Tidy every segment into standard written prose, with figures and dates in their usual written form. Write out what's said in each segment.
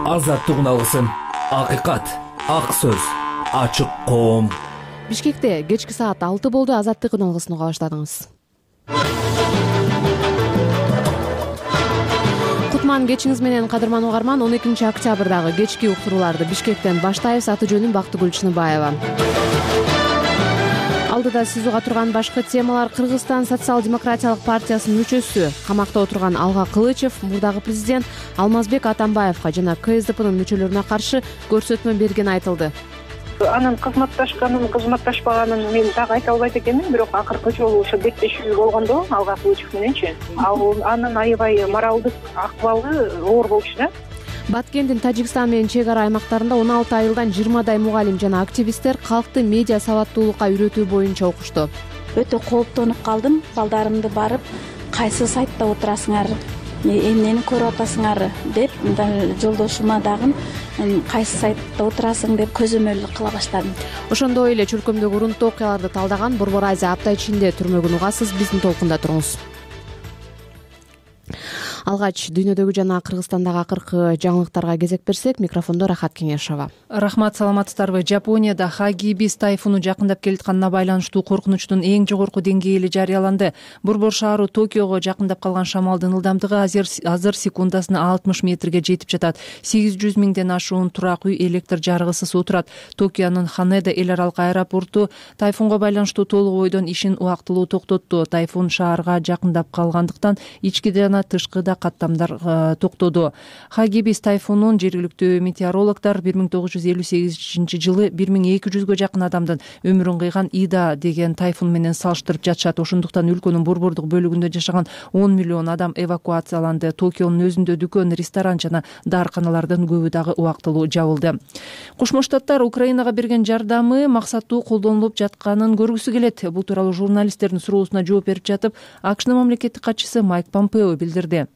Азаттык үналгысын, акыйкат, ак сөз, ачык коом. Бишкекте кечки саат 6 болду. Азаттык үналгысын уга баштадыңыз. Кутман кечиңиз менен, кадырман угарман. 12 октябрдагы кечки уктурууларды Бишкектен баштайбыз. Аты жөнүм Бактыгүл Чыныбаева. Алдыда сиз уга турган башкы темалар: Кыргызстан социал-демократиялык партиясынын мүчөсү, камакта отурган Алга Кылычев мурдагы президент Алмазбек Атамбаевга жана КСДПнын мүчөлөрүнө каршы көрсөтмө бергени айтылды. Анын кызматташпаганын мен так айта албайт экенмин, бирок акыркы жолу ошо беттешүү болгондо Алга Кылычев мененчи, анын аябай моралдык акыбалы оор болчу да. Баткендин Тажикстан менен чек ара аймактарында 16 айылдан 20дай мугалим жана активисттер калкты медиа сабаттуулукка үйрөтүү боюнча окушту. Өтө кооптонуп калдым. Балдарымды барып, кайсы сайтта отурасыңар, эмнени көрүп атасыңар деп, жолдошума дагы кайсы сайтта отурасың деп көзөмөлдүк кыла баштадым. Ошондой эле чөлкөмдөгү урунттуу окуяларды талдаган Борбор Азия апта ичинде түрмөгүн угасыз. Биздин толкунда туруңуз. Алгач дүйнөдөгү жана Кыргызстандагы акыркы жаңылыктарга кезек берсек, микрофондо Рахат Кеңешова. Рахмат, саламатсыздарбы? Жапонияда Хагибис тайфуну жакындап келатканына байланыштуу коркунучтун эң жогорку деңгээли жарыяланды. Борбор шаары Токиого жакындап калган шамалдын ылдамдыгы азыр секундасына 60 метрге жетип жатат. 800 миңден ашуун турак үй электр жарыгысыз отурат. Токионун Ханеда эл аралык аэропорту тайфунга байланыштуу толук бойдон ишин убактылуу токтотту. Тайфун шаарга жакындап калгандыктан ички жана тышкы каттамдар токтоду. Хагибис тайфунун жергиликтүү метеорологдор 1958 жылы 1200гө жакын адамдын өмүрүн кыйган Ида деген тайфун менен салыштырып жатышат. Ошондуктан өлкөнүн борбордук бөлүгүндө жашаган 10 миллион адам эвакуацияланды. Токионун өзүндө дүкөн, ресторан жана даарканалардын көбү дагы убактылуу жабылды. Кошмо Штаттар Украинага берген жардамы максаттуу колдонулуп жатканын көргүсү келет. Бул тууралуу журналисттердин суроосуна жооп берип жатып, АКШнын мамлекеттик катчысы Майк Помпео билдирди.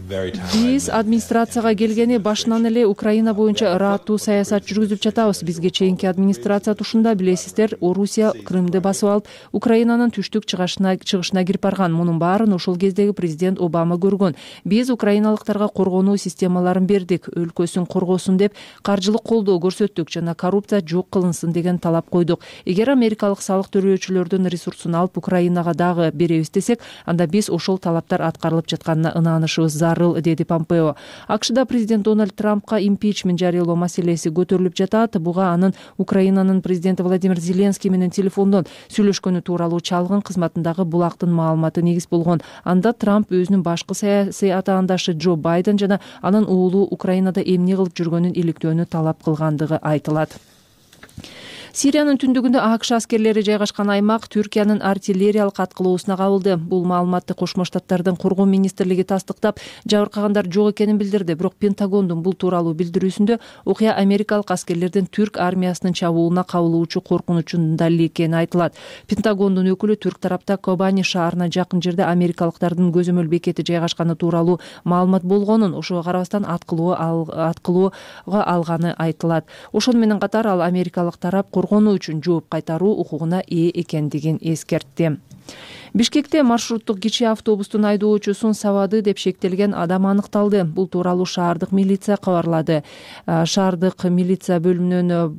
Биз администрацияга келгени башынан эле Украина боюнча ыраттуу саясат жүргүзүп жатабыз. Бизге чейинки администрация тушунда, билесиздер, Орусия Крымды басып алып, Украинанын түштүк чыгышына кирип барган. Мунун баарын ошол кездеги президент Обама көргөн. Биз украиналыктарга коргонуу системаларын бердик, өлкөсүн коргосун деп каржылык колдоо көрсөттүк жана коррупция жок кылынсын деген талап койдук. Эгер америкалык салык төлөөчүлөрдүн ресурсун алып Украинага дагы беребиз десек, анда биз ошол талаптар аткарылып жатканына ынанышыбыз зарыл, деди Помпео. АКШда президент Дональд Трампка импичмент жарыялоо маселеси көтөрүлүп жатат. Буга анын Украинанын президенти Владимир Зеленский менен телефондон сүйлөшкөнү тууралуу чалгын кызматындагы булактын маалыматы негиз болгон. Анда Трамп өзүнүн башкы саясий атаандашы Джо Байден жана анын уулу Украинада эмне кылып жүргөнүн иликтөөнү талап кылгандыгы айтылат. Сириянын түндүгүндө АКШ аскерлери жайгашкан аймак Түркиянын артиллериялык аткылоосуна кабылды. Бул маалыматты Кошмо Штаттардын коргоо министрлиги тастыктап, жабыркагандар жок экенин билдирди. Бирок Пентагондун бул тууралуу билдирүүсүндө окуя америкалык аскерлердин Түрк армиясынын чабуулуна кабылуучу коркунучунун далили экени айтылат. Пентагондун өкүлү Түрк тарапта Кобани шаарына жакын жерде америкалыктардын көзөмөл бекети жайгашканы тууралуу маалымат болгонун, ошого карабастан аткылоого алганы айтылат. Ошону менен катар ал америкалык тарап коргонуу үчүн жооп кайтаруу укугуна ээ экендигин эскертти. Бишкекте маршруттук кичи автобустун айдоочусун сабады деп шектелген адам аныкталды. Бул тууралуу шаардык милиция кабарлады. Шаардык милиция бөлүмүнүн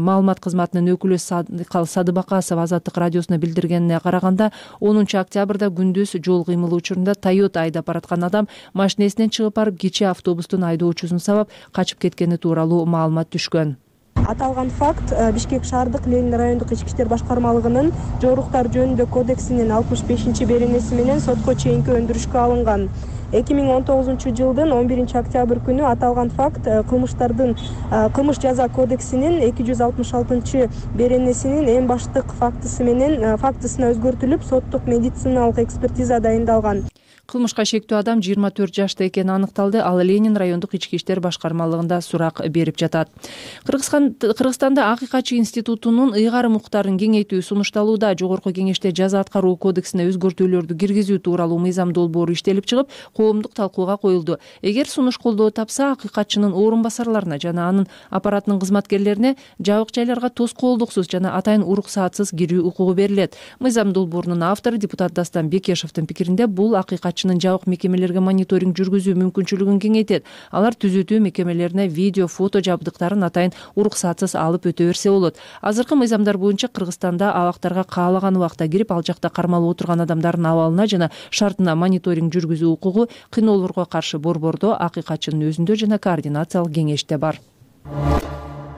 маалымат кызматынын өкүлү Садыбакасов Азаттык радиосуна билдиргенине караганда, 10 октябрда күндүз жол кыймылы учурунда Toyota айдап бараткан адам машинесинен чыгып барып кичи автобустун айдоочусун сабап качып кеткени тууралуу маалымат түшкөн. Аталган факт Бишкек шаардык Ленин райондук ички иштер башкармалыгынын жоруктар жөнүндө кодексинин 65-беренеси менен сотко чейинки өндүрүшкө алынган. 2019 жылдын 11 октябрь күнү аталган факт кылмыш жаза кодексинин 266-беренесинин эң баштык фактысына өзгөртүлүп, соттук медициналык экспертиза дайындалган. Кылмышка шектүү адам 24 жашта экени аныкталды. Ал Ленин райондук ички иштер башкармалыгында сурак берип жатат. Кыргызстанда Акыйкатчы институтунун ыйгарым укуктарын кеңейтүү сунушталууда. Жогорку кеңеште жаза аткаруу кодексине өзгөртүүлөрдү киргизүү тууралуу мыйзам долбоору иштелип чыгып, коомдук талкууга коюлду. Эгер сунуш колдоо тапса, Акыйкатчынын орун басарларына жана анын аппаратынын кызматкерлерине жабык жайларга тоскоолдуксуз жана атайын уруксаатсыз кирүү укугу берилет. Мыйзам долбоорунун автору депутат Дастан Бекешевдин пикиринде, бул Акыйкатчы катчынын жабык мекемелерге мониторинг жүргүзүү мүмкүнчүлүгүн кеңейтет. Алар түзөтүү мекемелерине видео, фото жабдыктарын атайын уруксатсыз алып өтө берсе болот. Азыркы мыйзамдар боюнча Кыргызстанда абактарга каалаган убакта кирип, ал жакта кармалып отурган адамдардын абалына жана шартына мониторинг жүргүзүү укугу кыйноолорго каршы борбордо, акыйкатчынын өзүндө жана координациялык кеңеште бар.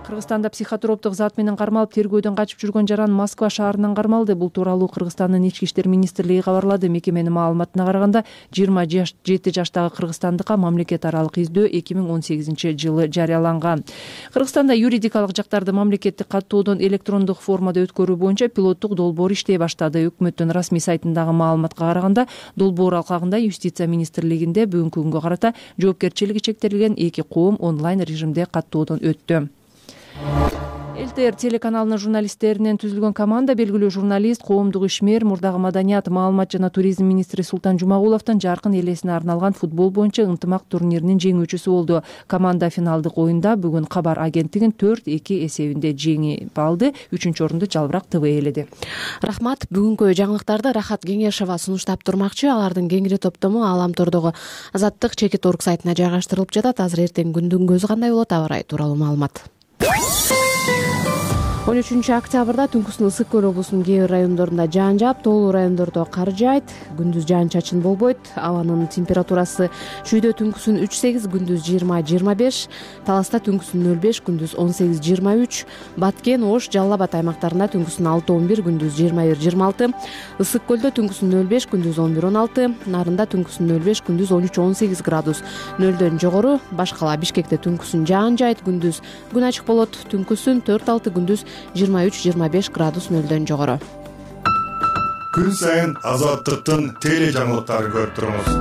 Кыргызстанда психотроптук зат менен кармалып тергөөдөн качып жүргөн жаран Москва шаарынан кармалды. Бул тууралуу Кыргызстандын Ички иштер министрлиги кабарлады. Мекеменин маалыматына караганда 27 жаштагы кыргызстандыкка мамлекет аралык издөө 2018-жылы жарыяланган. Кыргызстанда юридикалык жактарды мамлекеттик каттоодон электрондук формада өткөрүү боюнча пилоттук долбоор иштей баштады. Өкмөттүн расмий сайтындагы маалыматка караганда, долбоор алкагында юстиция министрлигинде бүгүнкү күнгө карата жоопкерчилиги чектелген 2 коом онлайн режимде каттоодон өттү. ЛТР телеканалынын журналисттеринен түзүлгөн команда белгилүү журналист, коомдук ишмер, мурдагы маданият, маалымат жана туризм министри Султан Жумагуловдун жаркын элесине арналган футбол боюнча ынтымак турниринин жеңүүчүсү болду. Команда финалдык оюнда бүгүн Кабар агенттигин 4-2 эсебинде жеңип алды. 3-орунду Жалбырак ТВ ээледи. Рахмат. Бүгүнкү жаңылыктарды Рахат Кеңешова сунуштап турмакчы. Алардын кеңири топтому Ааламтордогу Азаттык чекит орг сайтына жайгаштырылып жатат. Азыр эртең күндүн көзү кандай болот, аба ырайы тууралуу маалымат. 13-октябрда Түнкүсүн Ысык көл облусунун кээ бир райондорунда жаан жаап, тоолуу райондордо кар жаайт. Күндүз жаан-чачын болбойт. Абанын температурасы шүйдө түнкүсүн 3-8, күндүз 20-25, Таласта түнкүсүн 0-5, күндүз 18-23, Баткен, Ош, Жалал Абад аймактарында түнкүсүн 6-11, күндүз 21-26, Ысык көлдө түнкүсүн 0-5, күндүз 11-16, Нарында түнкүсүн 0-5, күндүз 13-18 градус нөлдөн жогору. Башкала Бишкекте түнкүсүн жаан жаайт, күндүз күн ачык болот, түнкүсүн 4-6, күндүз 23-25 градус нөлдөн жогору. Күн сайын Азаттыктын теле жаңылыктарын көрүп туруңуз.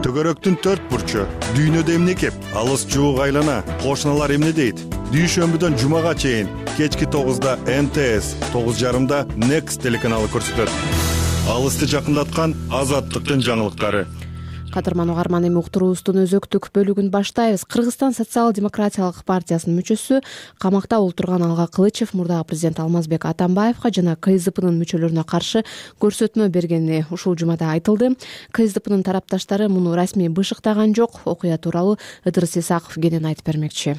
Төгөрөктүн 4 бурчу, дүйнөдө эмне кеп, алыс жуук айлана, кошуналар эмне дейт? Дүйшөмбүдөн жумага чейин кечки 9-да МТС, 9:30-да Next телеканалы көрсөтөт. Алысты жакындаткан Азаттыктын жаңылыктары. Кадырман угарман, эми уктуруубуздун өзөктүк бөлүгүн баштайбыз. Кыргызстан социал-демократиялык партиясынын мүчөсү, камакта отурган Алга Кылычев мурдагы президент Алмазбек Атамбаевка жана КСДПнын мүчөлөрүнө каршы көрсөтмө бергени ушул жумада айтылды. КСДПнын тарапташтары муну расмий бышыктаган жок. Окуя тууралуу Ыдырыс Исаков кенен айтып бермекчи.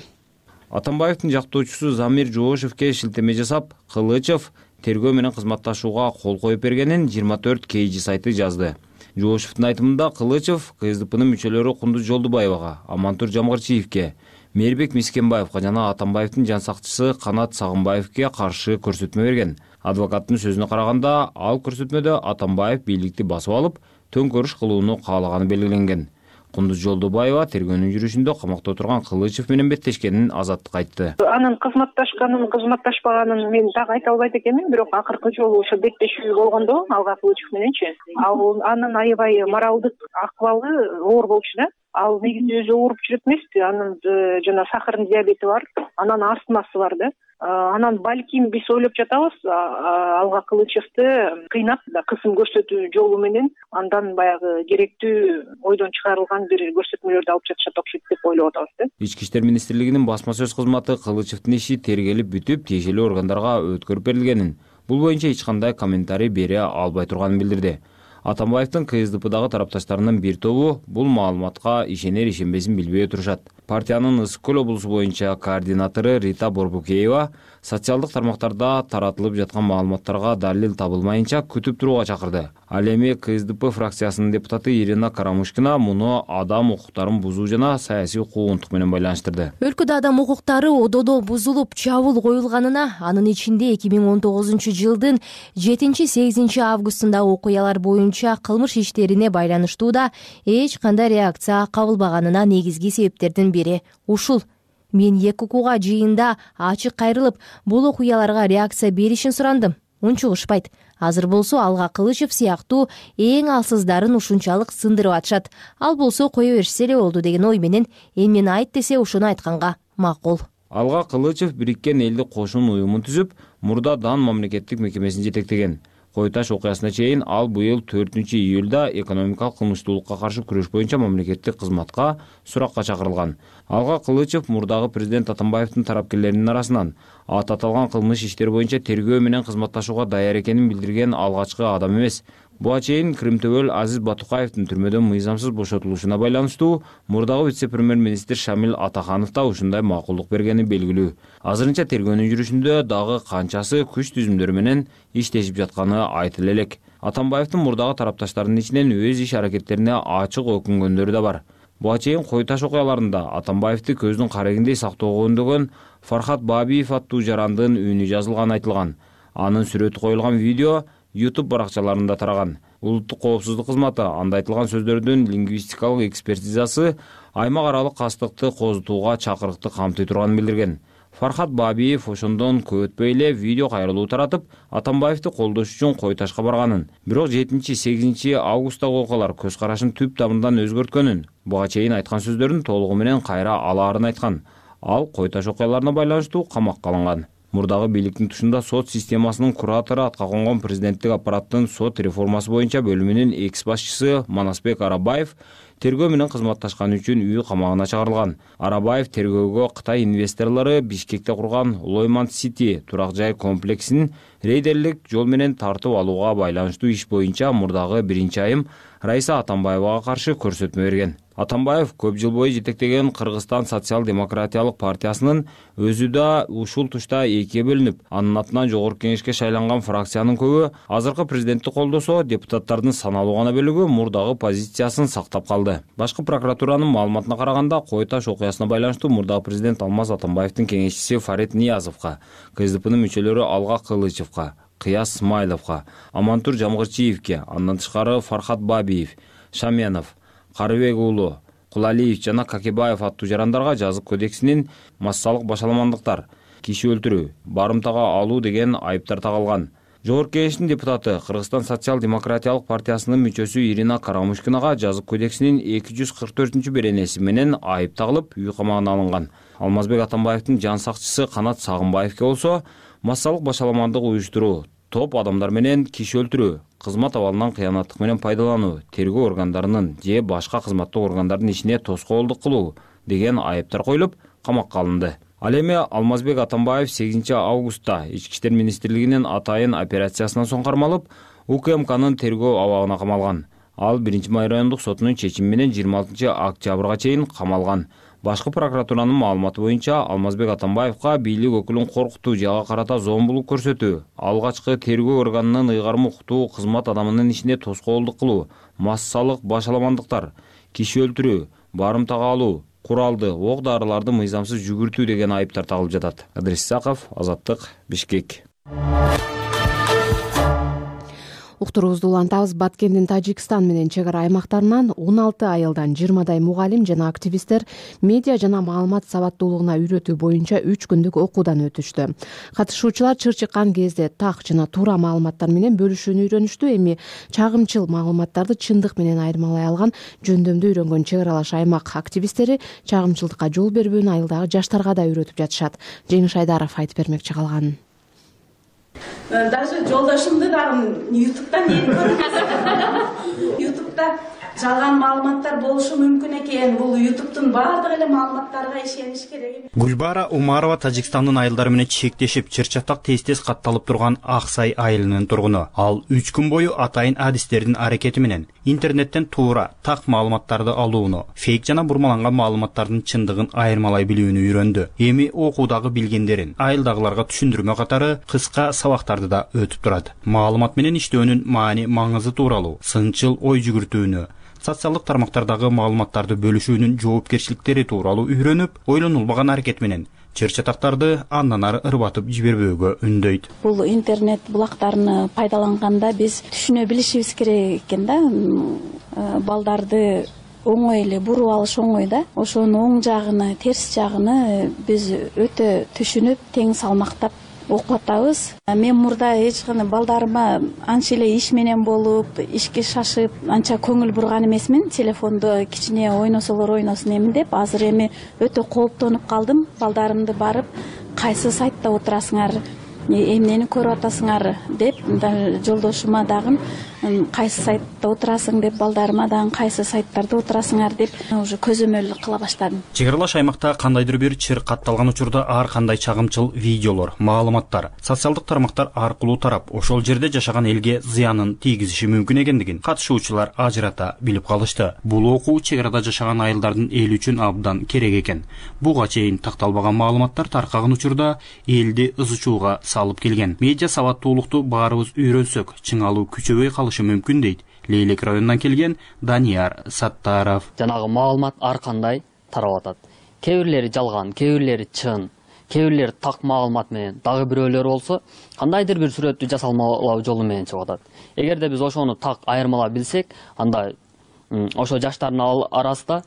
Атамбаевдин жактоочусу Замир Жоошевке шилтеме жасап, Кылычев тергөө менен кызматташууга кол коюп бергенин 24 KG сайты жазды. Жоошевдун айтымында Кылычев КСДПнын мүчөлөрү Кундуз Жолдубаевага, Амантур Жамгырчиевке, Мээрбек Мискенбаевга жана Атамбаевдин жан сакчысы Канат Сагынбаевке каршы көрсөтмө берген. Адвокаттын сөзүнө караганда, ал көрсөтмөдө Атамбаев бийликти басып алып, төңкөрүш кылууну каалаганы белгиленген. Кундуз Жолдубаева тергөөнүн жүрүшүндө камакта отурган Кылычев менен беттешкенин Азаттык айтты. Анын кызматташканын, кызматташпаганын мен так айта албайт экенмин, бирок акыркы жолу ошо беттешүү болгондо Алга Кылычев мененчи, анын аябай моралдык акыбалы оор болчу да. Ал негизи өзү ооруп жүрөт эмеспи, анын жана сахарный диабети бар, анан астмасы бар да. Анан балким биз ойлоп жатабыз, Алга Кылычевди кыйнап, кысым көрсөтүү жолу менен андан баягы керектүү ойдон чыгарылган бир көрсөтмөлөрдү алып жатышат окшойт деп ойлоп атабыз да. Ички иштер министрлигинин басма сөз кызматы Кылычевдин иши тергелип бүтүп, тиешелүү органдарга өткөрүп берилгенин, бул боюнча эч кандай комментарий бере албай турганын билдирди. Атамбаевдин КСДПдагы тарапташтарынын бир тобу бул маалыматка ишенер-ишенбесин билбей отурушат. Партиянын Ысык көл облусу боюнча координатору Рита Борбукеева социалдык тармактарда таратылып жаткан маалыматтарга далил табылмайынча күтүп турууга чакырды. Ал эми КСДП фракциясынын депутаты Ирина Карамушкина муну адам укуктарын бузуу жана саясий куугунтук менен байланыштырды. Өлкөдө адам укуктары ододо бузулуп, чабуул коюлганына, анын ичинде 2019-жылдын 7-8 августундагы окуялар боюнча кылмыш иштерине байланыштууда эч кандай реакция кабылбаганына негизги себептердин бири ушул. Мен УКУга жыйында ачык кайрылып, бул окуяларга реакция беришин сурандым. Унчугушпайт. Азыр болсо Алга Кылычев сыяктуу эң алсыздарын ушунчалык сындырып атышат. Ал болсо кое беришсе эле болду деген ой менен эмнени айт десе ошону айтканга макул. Алга Кылычев Бириккен Элдик Кошун уюмун түзүп, мурда Дан мамлекеттик мекемесин жетектеген. Кой Таш окуясына чейин ал быйыл 4-июлда экономикалык кылмыштуулукка каршы күрөш боюнча мамлекеттик кызматка суракка чакырылган. Алга Кылычев мурдагы президент Атамбаевдин тарапкерлеринин арасынан аты аталган кылмыш иштери боюнча тергөө менен кызматташууга даяр экенин билдирген алгачкы адам эмес. Буга чейин Крымтөбөл Азиз Батукаевдин түрмөдөн мыйзамсыз бошотулушуна байланыштуу мурдагы вице-премьер-министр Шамил Атаханов да ушундай макулдук бергени белгилүү. Азырынча тергөөнүн жүрүшүндө дагы канчасы күч түзүмдөрү менен иштешип жатканы айтыла элек. Атамбаевдин мурдагы тарапташтарынын ичинен өз иш аракеттерине ачык өкүнгөндөрү да бар. Буга чейин Кой Таш окуяларында Атамбаевди көздүн карегиндей сактоого үндөгөн Фархат Бабиев аттуу жарандын үнү жазылганы айтылган. Анын сүрөтү коюлган видео YouTube баракчаларында тараган. Улуттук коопсуздук кызматы анда айтылган сөздөрдүн лингвистикалык экспертизасы аймак аралык кастыкты козутууга чакырыкты камтый турганын билдирген. Фархат Бабиев ошондон көп өтпөй эле видео кайрылуу таратып, Атамбаевди колдош үчүн Кой Ташка барганын. Бирок 7-8 августтагы окуялар көз карашын түп тамырдан өзгөрткөнүн, буга чейин айткан сөздөрүн толугу менен кайра алаарын айткан. Ал Кой Таш окуяларына байланыштуу камакка алынган. Мурдагы бийликтин тушунда сот системасынын куратору атка конгон президенттик аппараттын сот реформасы боюнча бөлүмүнүн экс-башчысы Манасбек Арабаев тергөө менен кызматташканы үчүн үй камагына чыгарылган. Арабаев тергөөгө Кытай инвесторлору Бишкекте курган Лойман Сити турак жай комплексин рейдерлик жол менен тартып алууга байланыштуу иш боюнча мурдагы 1-айым Раиса Атамбаевага каршы көрсөтмө берген. Атамбаев көп жыл бою жетектеген Кыргызстан социал-демократиялык партиясынын өзү да ушул тушта экиге бөлүнүп, анын атынан жогорку кеңешке шайланган фракциянын көбү азыркы президентти колдосо, депутаттардын саналуу гана бөлүгү мурдагы позициясын сактап калды. Башкы прокуратуранын маалыматына караганда, Кой Таш окуясына байланыштуу мурдагы президент Алмаз Атамбаевдин кеңешчиси Фарид Ниязовго, КСДПнын мүчөлөрү Алга Кылычевго, Кыяс Смайловго, Амантур Жамгырчиевге, андан тышкары Фархат Бабиев, Шаменов, Карыбек уулу, Кулалиев жана Какебаев аттуу жарандарга жазык кодексинин массалык башаламандыктар, киши өлтүрүү, барымтага алуу деген айыптар тагылган. Жогорку кеңештин депутаты Кыргызстан социал-демократиялык партиясынын мүчөсү Ирина Карамушкинага жазык кодексинин 244-беренеси менен айып тагылып, үй камагына алынган. Алмазбек Атамбаевдин жан сакчысы Канат Сагынбаевге болсо массалык башаламандык уюштуруу, топ адамдар менен киши өлтүрүү, кызмат абалынан кыянаттык менен пайдалануу, тергөө органдарынын же башка кызматтык органдардын ишине тоскоолдук кылуу деген айыптар коюлуп, камакка алынды. Ал эми Алмазбек Атамбаев 8 августта Ички иштер министрлигинин атайын операциясынан соң кармалып, УКМКнын тергөө абагына камалган. Ал 1-май райондук сотунун чечими менен 26 октябрга чейин камалган. Башкы прокуратуранын маалыматы боюнча Алмазбек Атамбаевга бийлик өкүлүн коркутуу жага карата зомбулук көрсөтүү, алгачкы тергөө органынын ыйгарым укуктуу кызмат адамынын ишине тоскоолдук кылуу, массалык башаламандыктар, киши өлтүрүү, барымтага алуу, куралды, ок-дарыларды мыйзамсыз жүгүртүү деген айыптар тагылып жатат. Адрес Исаков, Азаттык, Бишкек. Уктуруубузду улантабыз. Баткендин Тажикстан менен чек ара аймактарынан 16 айылдан 20дай мугалим жана активисттер медиа жана маалымат сабаттуулугуна үйрөтүү боюнча 3 күндүк окуудан өтүштү. Катышуучулар чыр чыккан кезде так жана туура маалыматтар менен бөлүшүүнү үйрөнүштү. Эми чагымчыл маалыматтарды чындык менен айырмалай алган жөндөмдү үйрөнгөн чек аралаш аймак активисттери чагымчылдыкка жол бербөөнү айылдагы жаштарга да үйрөтүп жатышат. Жеңиш Айдаров айтып бермекчи калганын. Даже жолдошумду дагы ютубтан көрүп ютубта жалган маалыматтар болушу мүмкүн экен. Бул ютубтун баардык эле маалыматтарга ишениш керек. Гүлбара Умарова Тажикстандын айылдары менен чектешип, чыр-чатак тез-тез катталып турган Аксай айылынын тургуну. Ал 3 күн бою атайын адистердин аракети менен интернеттен туура, так маалыматтарды алууну, фейк жана бурмаланган маалыматтардын чындыгын айырмалай билүүнү үйрөндү. Эми окуудагы билгендерин айылдагыларга түшүндүрмө катары кыска сабактарды да өтүп турат. Маалымат менен иштөөнүн маани маңызы тууралуу, сынчыл ой жүгүртүүнү, социалдык тармактардагы маалыматтарды бөлүшүүнүн жоопкерчиликтери тууралуу үйрөнүп, ойлонулбаган аракет менен чыр-чатактарды андан ары ырбатып жибербөөгө үндөйт. Бул интернет булактарын пайдаланганда биз түшүнө билишибиз керек экен да. Балдарды оңой эле буруп алыш оңой да. Ошонун оң жагыны, терс жагыны биз өтө түшүнүп, тең салмактап окуп атабыз. Мен мурда эч кандай балдарыма анча эле иш менен болуп, ишке шашып, анча көңүл бурган эмесмин. Телефондо кичине ойносолор ойносун эмин деп. Азыр эми өтө кооптонуп калдым. Балдарымды барып, кайсы сайтта отурасыңар, эмнени көрүп атасыңар деп жолдошума дагы кайсы сайтта отурасың деп, балдарыма дагы кайсы сайттарда отурасыңар деп уже көзөмөл кыла баштадым. Чек аралаш аймакта кандайдыр бир чыр катталган учурда ар кандай чагымчыл видеолор, маалыматтар социалдык тармактар аркылуу тарап, ошол жерде жашаган элге зыянын тийгизиши мүмкүн экендигин катышуучулар ажырата билип калышты. Бул окуу чек арада жашаган айылдардын эли үчүн абдан керек экен. Буга чейин такталбаган маалыматтар таркаган учурда элди ызычууга салып келген. Медиа сабаттуулукту баарыбыз үйрөнсөк, чыңалуу күчөбөй калышы мүмкүн дейт Лейлек районунан келген Данияр Саттаров. Жанагы маалымат ар кандай тарап атат. Кээ бирлери жалган, кээ бирлери чын, кээ бирлери так маалымат менен, дагы бирөөлөр болсо кандайдыр бир сүрөттү жасалмалоо жолу менен чыгып атат. Эгерде биз ошону так айырмалап билсек, анда ошо жаштардын арасында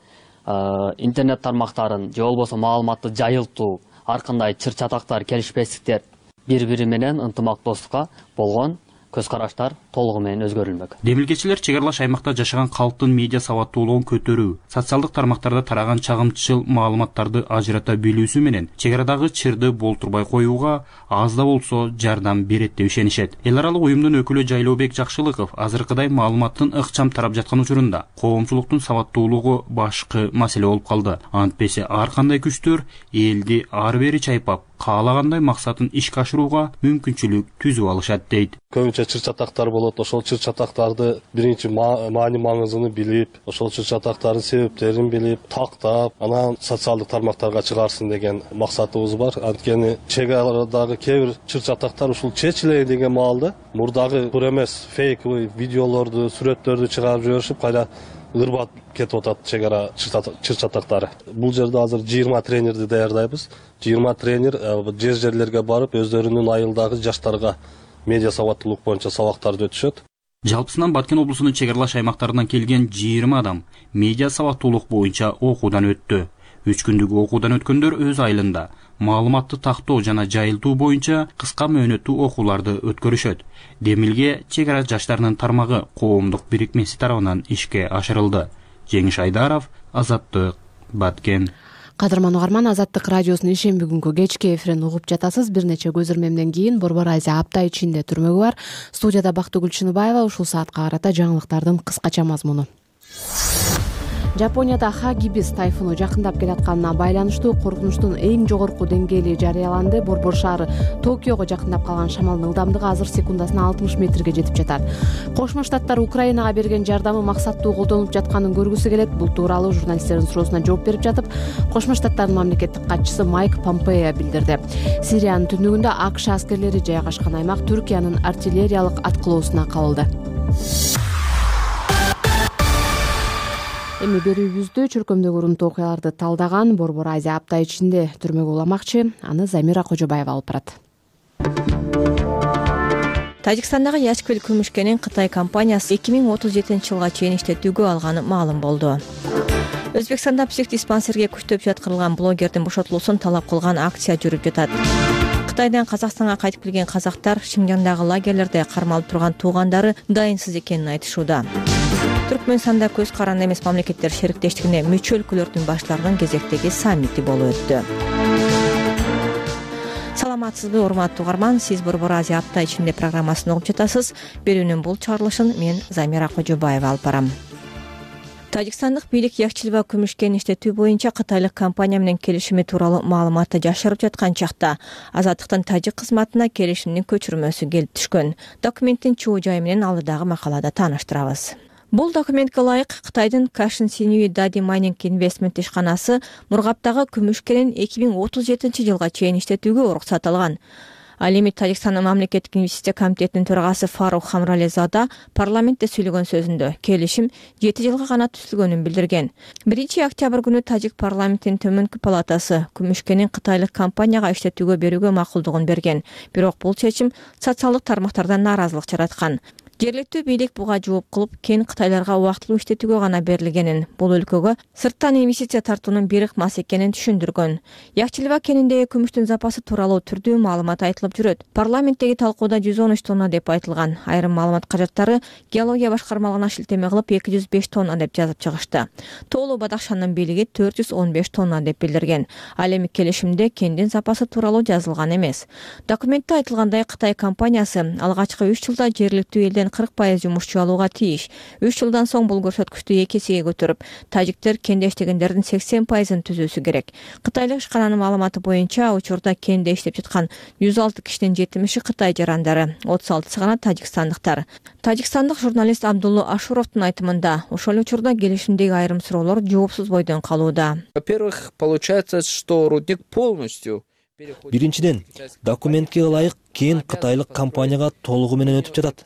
интернет тармактарын же болбосо маалыматты жайылтуу, ар кандай чыр чатактар, келишпестиктер бири-бири менен ынтымактуулукка болгон көз караштар толугу менен өзгөрүлмөк. Демилгечилер чек аралаш аймакта жашаган калктын медиа сабаттуулугун көтөрүү, социалдык тармактарда тараган чагымчыл маалыматтарды ажырата билүүсү менен чек арадагы чырды болтурбай коюуга аз да болсо жардам берет деп ишенишет. Эл аралык уюмдун өкүлү Жайлообек Жакшылыков азыркыдай маалыматтын ыкчам тарап жаткан учурунда коомчулуктун сабаттуулугу башкы маселе болуп калды. Антпесе ар кандай күчтөр элди ары бери чайпап, каалагандай максатын ишке ашырууга мүмкүнчүлүк түзүп алышат дейт. Көбүнчө чыр чатактар болот. Ошол чыр чатактарды биринчи маани маңызын билип, ошол чыр чатактардын себептерин билип, тактап, анан социалдык тармактарга чыгарсын деген максатыбыз бар. Анткени чек арадагы кээ бир чыр чатактар ушул чечилейин деген маалда мурдагы тур эмес фейковый видеолорду, сүрөттөрдү чыгарып жиберишип, кайра ырбап кетип атат чек ара чыр чатактары. Бул жерде азыр 20 тренерди даярдайбыз. 20 тренер жерлерге барып өздөрүнүн айылдагы жаштарга медиа сабаттуулук боюнча сабактарды өтүшөт. Жалпысынан Баткен облусунун чек аралаш аймактарынан келген 20 адам медиа сабаттуулук боюнча окуудан өттү. 3 күндүк окуудан өткөндөр өз айылында маалыматты тактоо жана жайылтуу боюнча кыска мөөнөттүү окууларды өткөрүшөт. Демилге чек ара жаштарынын тармагы коомдук бирикмеси тарабынан ишке ашырылды. Жеңиш Айдаров, Азаттык, Баткен. Кадырман угарман, Азаттык радиосунун ишемби күнгү кечки эфирин угуп жатасыз. Бир нече көз ирмемден кийин Борбор Азия апта ичинде түрмөгү бар. Студияда Бактыгүл Чыныбаева. Ушул саатка карата жаңылыктардын кыскача мазмуну. Жапонияда Хагибис тайфуну жакындап келатканына байланыштуу коркунучтун эң жогорку деңгээли жарыяланды. Борбор шаары Токиого жакындап калган шамалдын ылдамдыгы азыр секундасына 60 метрге жетип жатат. Кошмо Штаттар Украинага берген жардамы максаттуу колдонуп жатканын көргүсү келет. Бул тууралуу журналисттердин суроосуна жооп берип жатып, Кошмо Штаттардын мамлекеттик катчысы Майк Помпео билдирди. Сириянын түндүгүндө АКШ аскерлери жайгашкан аймак Түркиянын артиллериялык аткылоосуна кабылды. Эми берүүбүздө чөлкөмдөгү урунтуу окуяларды талдаган Борбор Азия апта ичинде түрмөгө уламакчы. Аны Замира Кожобаева алып барат. Тажикстандагы Яшквил күмүшкенин Кытай компаниясы 2037-жылга чейин иштетүүгө алганы маалым болду. Өзбекстанда психдиспансерге күчтөп жаткырылган блогердин бошотулуусун талап кылган акция жүрүп жатат. Кытайдан Казакстанга кайтып келген казактар Шинжаңдагы лагерлерде кармалып турган туугандары дайынсыз экенин айтышууда. Түркмөнстанда көз каранды эмес мамлекеттер шериктештигине мүчө өлкөлөрдүн баштарынын кезектеги саммити болуп өттү. Саламатсызбы, урматтуу угарман, сиз Борбор Азия апта ичинде программасын угуп жатасыз. Берүүнүн бул чыгарылышын мен Замира Кожобаева алып барам. Тажикстандык бийлик Яшквил күмүшкенин иштетүү боюнча кытайлык компания менен келишими тууралуу маалыматты жашырып жаткан чакта Азаттыктын тажик кызматына келишимдин көчүрмөсү келип түшкөн. Документтин чоо жайы менен алдыдагы макалада тааныштырабыз. Бул документке ылайык Кытайдын Кашин Синьюи Дади Майнинг Инвестмент ишканасы Мургаптагы күмүшкенин 2037-жылга чейин иштетүүгө уруксат алган. Ал эми Тажикстандын мамлекеттик инвестиция комитетинин төрагасы Фарух Хамралезада парламентте сүйлөгөн сөзүндө келишим 7 жылга гана түзүлгөнүн билдирген. 1-октябрь күнү Тажик парламентинин төмөнкү палатасы күмүшкенин кытайлык компанияга иштетүүгө берүүгө макулдугун берген. Бирок бул чечим социалдык тармактардан нааразылык жараткан. Жергиликтүү бийлик буга жооп кылып кен кытайларга убактылуу иштетүүгө гана берилгенин, бул өлкөгө сырттан инвестиция тартуунун бир ыкмасы экенин түшүндүргөн. Якчилбак кениндеги күмүштүн запасы тууралуу түрдүү маалымат айтылып жүрөт. Парламенттеги талкууда 113 тонна деп айтылган. Айрым маалымат кажаттары геология башкармалыгына шилтеме кылып 205 тонна деп жазып чыгышты. Тоолуу Бадахшандын бийлиги 415 тонна деп билдирген. Ал эми келишимде кендин запасы тууралуу жазылган эмес. Документте айтылгандай, Кытай компаниясы алгачкы 3 жылда жергиликтүү элден 40% жумушчу алууга тийиш. 3 жылдан соң бул көрсөткүчтү 2 эсеге көтөрүп, тажиктер кенде иштегендердин 80%-ын түзүүсү керек. Кытайлык ишкананын маалыматы боюнча, учурда кенде иштеп жаткан 106 кишинин 70-и Кытай жарандары, 36-сы гана тажикстандыктар. Тажикстандык журналист Абдулла Ашуровдун айтымында, ошол учурда келишимдеги айрым суроолор жоопсуз бойдон калууда. Во-первых, получается, что рудник полностью Биринчиден, документке ылайык кен кытайлык компанияга толугу менен өтүп жатат.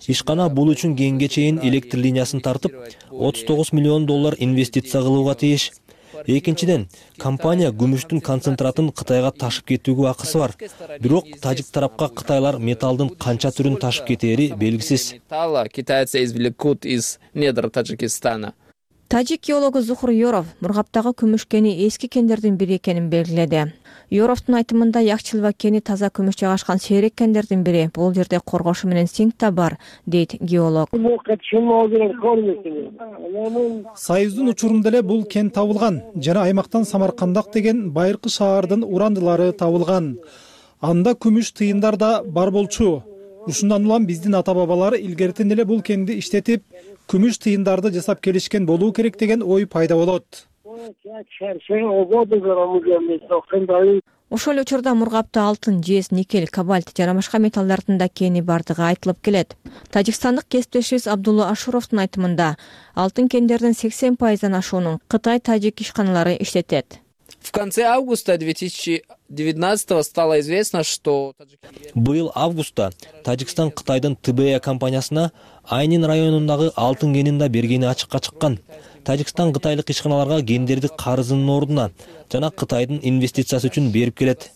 Ишкана бул үчүн кенге чейин электр линиясын тартып, 39 миллион доллар инвестиция кылууга тийиш. Экинчиден, компания күмүштүн концентратын Кытайга ташып кетүүгө акысы бар. Бирок тажик тарапка кытайлар металлдын канча түрүн ташып кетери белгисиз. Китайцы извлекут из недр Таджикистана. Тажик геологу Зухур Yorov Мургаптагы күмүш кени эски кендердин бири экенин белгиледи. Yorovдун айтымында Якчилбак кени таза күмүш жайгашкан сейрек кендердин бири. Бул жерде коргошу менен синк да бар, дейт геолог. Союздун учурунда эле бул кен табылган жана аймактан Самаркандак деген байыркы шаардын урандылары табылган. Анда күмүш тыйындар да бар болчу. Ушундан улам биздин ата-бабалар илгертен эле бул кенди иштетип, күмүш тыйындарды жасап келишкен болуу керек деген ой пайда болот. Ошол учурда Мургапта алтын, жез, никель, кобальт жана башка металлдардын да кени бардыгы айтылып келет. Тажикстандык кесиптешибиз Абдулла Ашуровдун айтымында, алтын кендердин 80%-дан ашуунун Кытай-тажик ишканалары иштетет. В конце августа 2019 стало известно, что Быйыл августта Тажикстан Кытайдын ТБ компаниясына Айнин районундагы алтын кенин да бергени ачыкка чыккан. Тажикстан кытайлык ишканаларга кендерди карызынын ордуна жана Кытайдын инвестициясы үчүн берип келет.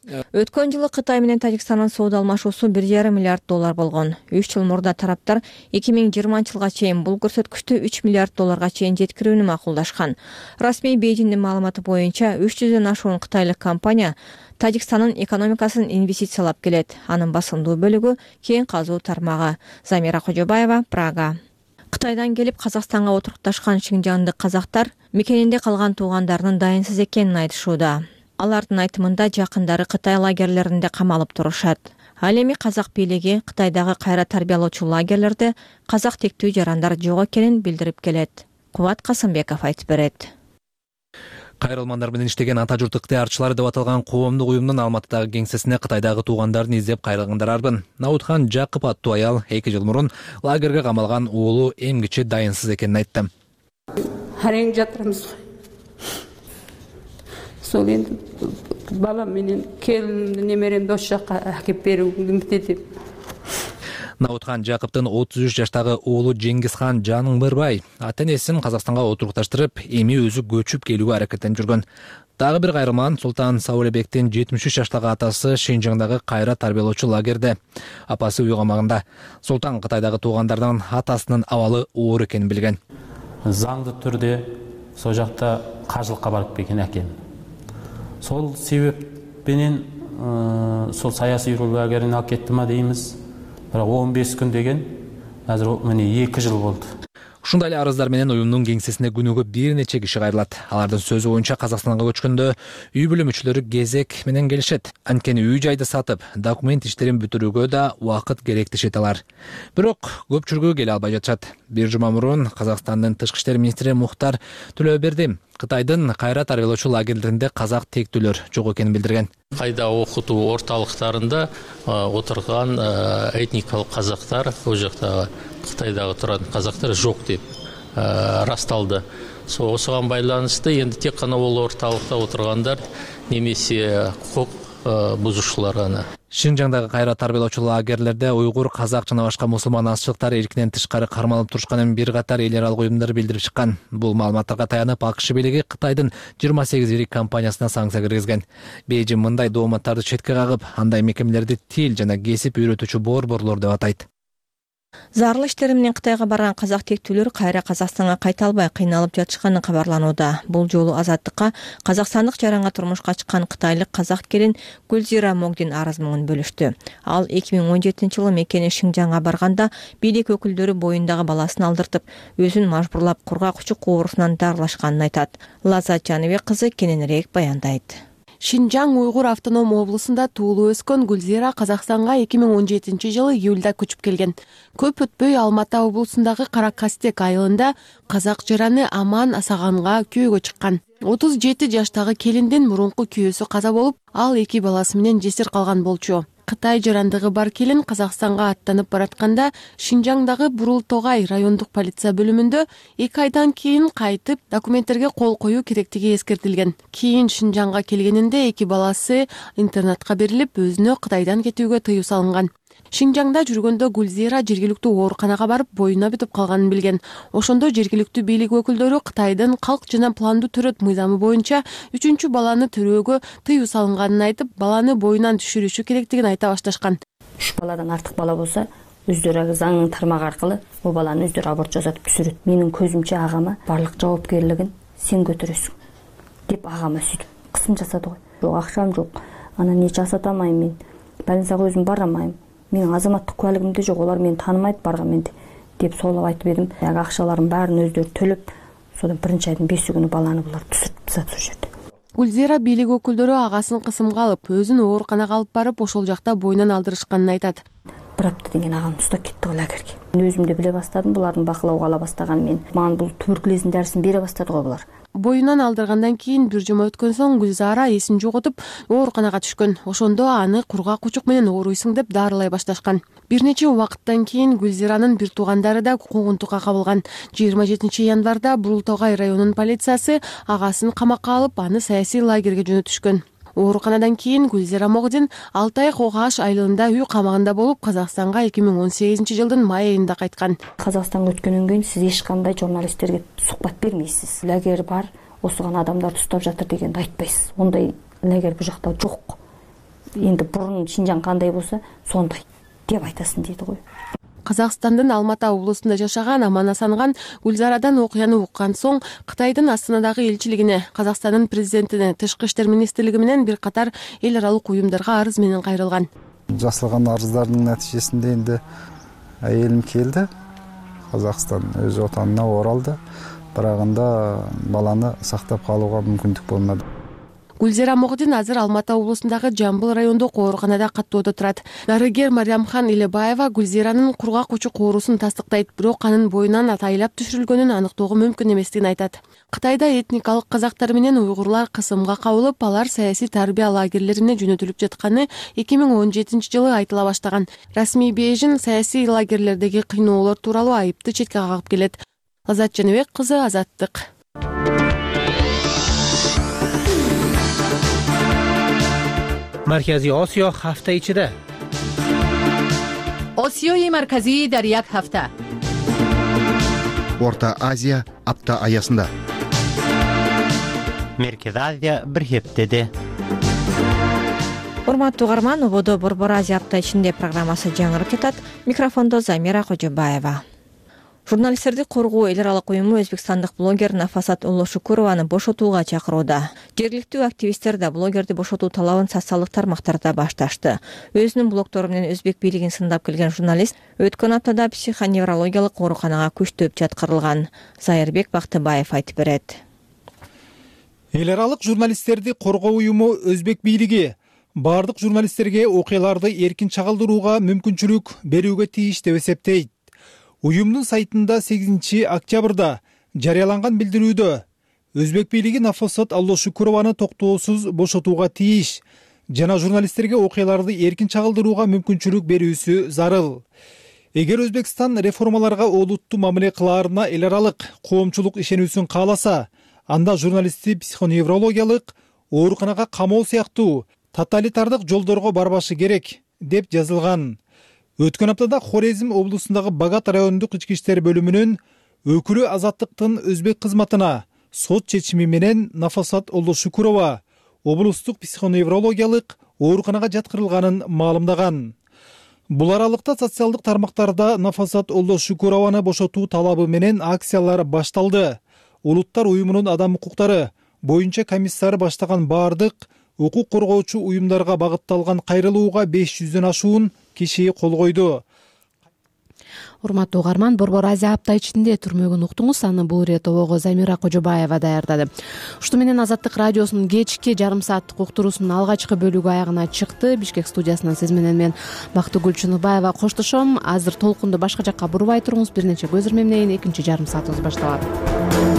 Өткөн жылы Кытай менен Тажикстандын соода алмашуусу 1,5 миллиард доллар болгон. 3 жыл мурда тараптар 2020-жылга чейин бул көрсөткүчтү 3 миллиард долларга чейин жеткирүүнү макулдашкан. Расмий Бейжиңдин маалыматы боюнча 300дөн ашуун кытайлык компания Тажикстандын экономикасын инвестициялап келет. Анын басымдуу бөлүгү кен казуу тармагы. Замира Кожобаева, Прага. Кытайдан келип Казакстанга отурукташкан Шинжаңдык казактар мекенинде калган туугандарынын дайынсыз экенин айтышууда. Алардын айтымында жакындары Кытай лагерлеринде камалып турушат. Ал эми казак бийлиги Кытайдагы кайра тарбиялоочу лагерлерде казак тектүү жарандар жок экенин билдирип келет. Кубат Касымбеков айтып берет. Кайрылмандар менен иштеген ата журт ыктыярчылары деп аталган коомдук уюмдун Алматыдагы кеңсесине Кытайдагы туугандарын издеп кайрылгандар арбын. Наутхан Жакып аттуу аял 2 жыл мурун лагерге камалган уулу эмгичи дайынсыз экенин айтты. Харең жатырмыз. Сол энди балам менен келинимди немеремди ош жакка акеп берүүгө үмүттөнүп. Наутхан Жакыптын 33 жаштагы уулу Жеңгизхан Жаныңбырбай ата-энесин Казакстанга отурукташтырып, эми өзү көчүп келүүгө аракеттенип жүргөн. Дагы бир кайрылман Султан Саулебектин 73 жаштагы атасы Шинжаңдагы кайра тарбиялоочу лагерде. Апасы үй камагында. Султан Кытайдагы туугандардан атасынын абалы оор экенин билген. Заңдуу түрдө сол жакта кажылыкка барып келген экен. Сол себеп менен сол саясий лагерине алып кетти ма деймиз. 15 күн деген, азыр міне 2 жыл болды. Ушундай эле арыздар менен уюмдун кеңсесине күнүгө бир нече киши кайрылат. Алардын сөзү боюнча Казакстанга көчкөндө үй бүлө мүчөлөрү кезек менен келишет. Анткени үй жайды сатып, документ иштерин бүтүрүүгө да убакыт керек дешет алар. Бирок көпчүлүгү келе албай жатышат. Бир жума мурун Казакстандын тышкы иштер министри Мухтар Төлөберди Кытайдын кайра тарбиялоочу лагерлеринде казак тектүүлөр жок экенин билдирген. Кайда окутуу орталыктарында отурган этникалык казактар, ол жакта Кытайдагы турган казактар жок деп расталды. Осуга байланыштуу энди тек гана ол орталыкта отургандар немесе хукук бузушуулар гана. Шинжаңдагы кайра тарбиялоочу лагерлерде уйгур, казак жана башка мусулман азчылыктар эркинен тышкары кармалып турушканын бир катар эл аралык уюмдар билдирип чыккан. Бул маалыматтарга таянып АКШ бийлиги Кытайдын 28 ирик компаниясына санкция киргизген. Бейжиң мындай дооматтарды четке кагып, андай мекемелерди тил жана кесип үйрөтүүчү борборлор деп атайт. Зарыл иштери менен Кытайга барган казак тектүүлөр кайра Казакстанга кайта албай кыйналып жатышканы кабарланууда. Бул жолу Азаттыкка казакстандык жаранга турмушка чыккан кытайлык казак келин Гүлзира Магдин арыз менен бөлүштү. Ал 2017-жылы мекени Шинжаңга барганда бийлик өкүлдөрү боюндагы баласын алдыртып, өзүн мажбурлап кургак учук оорусунан дарылашканын айтат. Лаззат Жаныбек кызы кененирээк баяндайт. Шинжаң Уйгур автоном облусунда туулуп өскөн Гүлзира Казакстанга 2017-жылы июлда көчүп келген. Көп өтпөй Алматы облусундагы Каракастек айылында казак жараны Аман Асаганга күйөөгө чыккан. 37 жаштагы келиндин мурунку күйөөсү каза болуп, ал 2 баласы менен жесир калган болчу. Кытай жарандыгы бар келин Казакстанга аттанып баратканда Шинжаңдагы Бурул-Тогай райондук полиция бөлүмүндө 2 айдан кийин кайтып документтерге кол коюу керектиги эскертилген. Кийин Шинжаңга келгенинде 2 баласы интернатка берилип, өзүнө Кытайдан кетүүгө тыюу салынган. Шинжаңда жүргөндө Гүлзира жергиликтүү ооруканага барып боюна бүтүп калганын билген. Ошондо жергиликтүү бийлик өкүлдөрү Кытайдын калк жана пландуу төрөт мыйзамы боюнча 3-чү баланы төрөөгө тыюу салынганын айтып, баланы боюнан түшүрүшү керектигин айта башташкан. 3 баладан артык бала болсо, өздөрү заңдын тармагы аркылуу бул баланы өздөрү аборт жасатып түшүрөт. Менин көзүмчө агама барлык жоопкерлигин сен көтөрөсүң деп агама сүйтүп кысым жасады го. Жок, акчам жок. Анан не жасата алмайм мен. Больницага өзүм бара алмайм. Менин азаматтык куәлигимде жок, олар мени таанымайт баргаменди деп соолап айтып едим. Ягы акчаларын баарын өздөрү төлөп, содан 1-айдын 5-күнү баланы булар түсүрүп тастады ошол жерде. Гүлзира бийлик өкүлдөрү агасын кысымга алып, өзүн ооруканага алып барып, ошол жакта боюнан алдырышканын айтат. Bir аптадан кийин агам устап кетти го лагерге. Мен өзүм да биле баштадым, булардын бакылоого ала баштаганын мен. Мага бул туберкулездин дарысын бере баштады го булар. Боюнан алдыргандан кийин 1 жума өткөн соң Гүлзара эсин жоготуп, ооруканага түшкөн. Ошондо аны кургак учук менен ооруйсуң деп дарылай башташкан. Бир нече убакыттан кийин Гүлзиранын бир туугандары да куугунтукка кабылган. 27 январда Бурул-Тогай районунун полициясы агасын камакка алып, аны саясий лагерге жөнөтүшкөн. Ооруканадан кийин Гүлзира Магдин 6 ай Когаш айылында үй камагында болуп, Казакстанга 2018-жылдын май айында кайткан. Казакстанга өткөндөн кийин сиз эч кандай журналисттерге сухбат бермейсиз. Лагер бар, осуган адамдарды уштап жатыр дегенди айтпайсыз. Ондай лагер бул жакта жок. Энди бурун Шинжаң кандай болсо, сондай деп айтасың дейди го. Казакстандын Алматы облусунда жашаган Аман Асанган Гүлзарадан окуяны уккан соң Кытайдын Астанадагы элчилигине, Казакстандын президентине, Тышкы иштер министрлиги менен бир катар эл аралык уюмдарга арыз менен кайрылган. Жасалган арыздардын натыйжесинде энди айылым келди. Казакстан өз отанына оралды. Бирок анда баланы сактап калууга мүмкүндүк болмады. Гүлзира Магдин азыр Алматы облусундагы Жамбыл райондук ооруканада каттоодо турат. Дарыгер Мариямхан Илебаева Гүлзиранын кургак учук оорусун тастыктайт, бирок анын боюнан атайлап түшүрүлгөнүн аныктоого мүмкүн эместигин айтат. Кытайда этникалык казактар менен уйгурлар кысымга кабылып, алар саясий тарбия лагерлерине жөнөтүлүп жатканы 2017-жылы айтыла баштаган. Расмий Бейжин саясий лагерлердеги кыйноолор тууралуу айыпты четке кагып келет. Лаззат Жаныбек кызы, Азаттык. Маркази Осиё ҳафта ичида. Осиёи марказӣ дар як ҳафта. Орта Азия апта аясында. Меркези Азия бир хептеде. Урматтуу угарман, Ободо Борбор Азия апта ичинде программасы жаңырып жатат. Микрофондо Замира Кожобаева. Журналисттерди коргоо эл аралык уюму өзбекстандык блогер Нафасат Уллошукурованы бошотууга чакырууда. Жергиликтүү активисттер да блогерди бошотуу талабын социалдык тармактарда башташты. Өзүнүн блогтору менен өзбек бийлигин сындап келген журналист өткөн аптада психоневрологиялык ооруканага күчтөп жаткырылган. Зайырбек Бактыбаев айтып берет. Эл аралык журналисттерди коргоо уюму өзбек бийлиги бардык журналисттерге окуяларды эркин чагылдырууга мүмкүнчүлүк берүүгө тийиш деп эсептейт. Уюмдун сайтында 8 октябрда жарыяланган билдирүүдө өзбек бийлиги Нафасат Уллошукурованы токтоосуз бошотууга тийиш жана журналисттерге окуяларды эркин чагылдырууга мүмкүнчүлүк берүүсү зарыл. Эгер Өзбекстан реформаларга олуттуу мамиле кылаарына эл аралык коомчулук ишенүүсүн кааласа, анда журналистти психоневрологиялык ооруканага камоо сыяктуу тоталитардык жолдорго барбашы керек деп жазылган. Өткөн аптада Хорезм облусундагы Багат райондук ички иштер бөлүмүнүн өкүлү Азаттыктын өзбек кызматына сот чечими менен Нафасат Уллошукурова облустук психоневрологиялык ооруканага жаткырылганын маалымдаган. Бул аралыкта социалдык тармактарда Нафасат Олдошукурованы бошотуу талабы менен акциялар башталды. Улуттар уюмунун адам укуктары боюнча комиссары баштаган баардык укук коргоочу уюмдарга багытталган кайрылууга 500дөн ашуун киши кол койду. Урматтуу угарман, Борбор Азия апта ичинде түрмөгүн уктуңуз. Аны бул иреттобого Замира Кожобаева даярдады. Ушуну менен Азаттык радиосунун кечки жарым сааттык уктуруусунун алгачкы бөлүгү аягына чыкты. Бишкек студиясынан сиз менен мен Бактыгүл Чыныбаева коштошом. Азыр толкунду башка жакка бурбай туруңуз. Бир нече көз ирмемдейин, экинчи жарым саатыбыз башталат.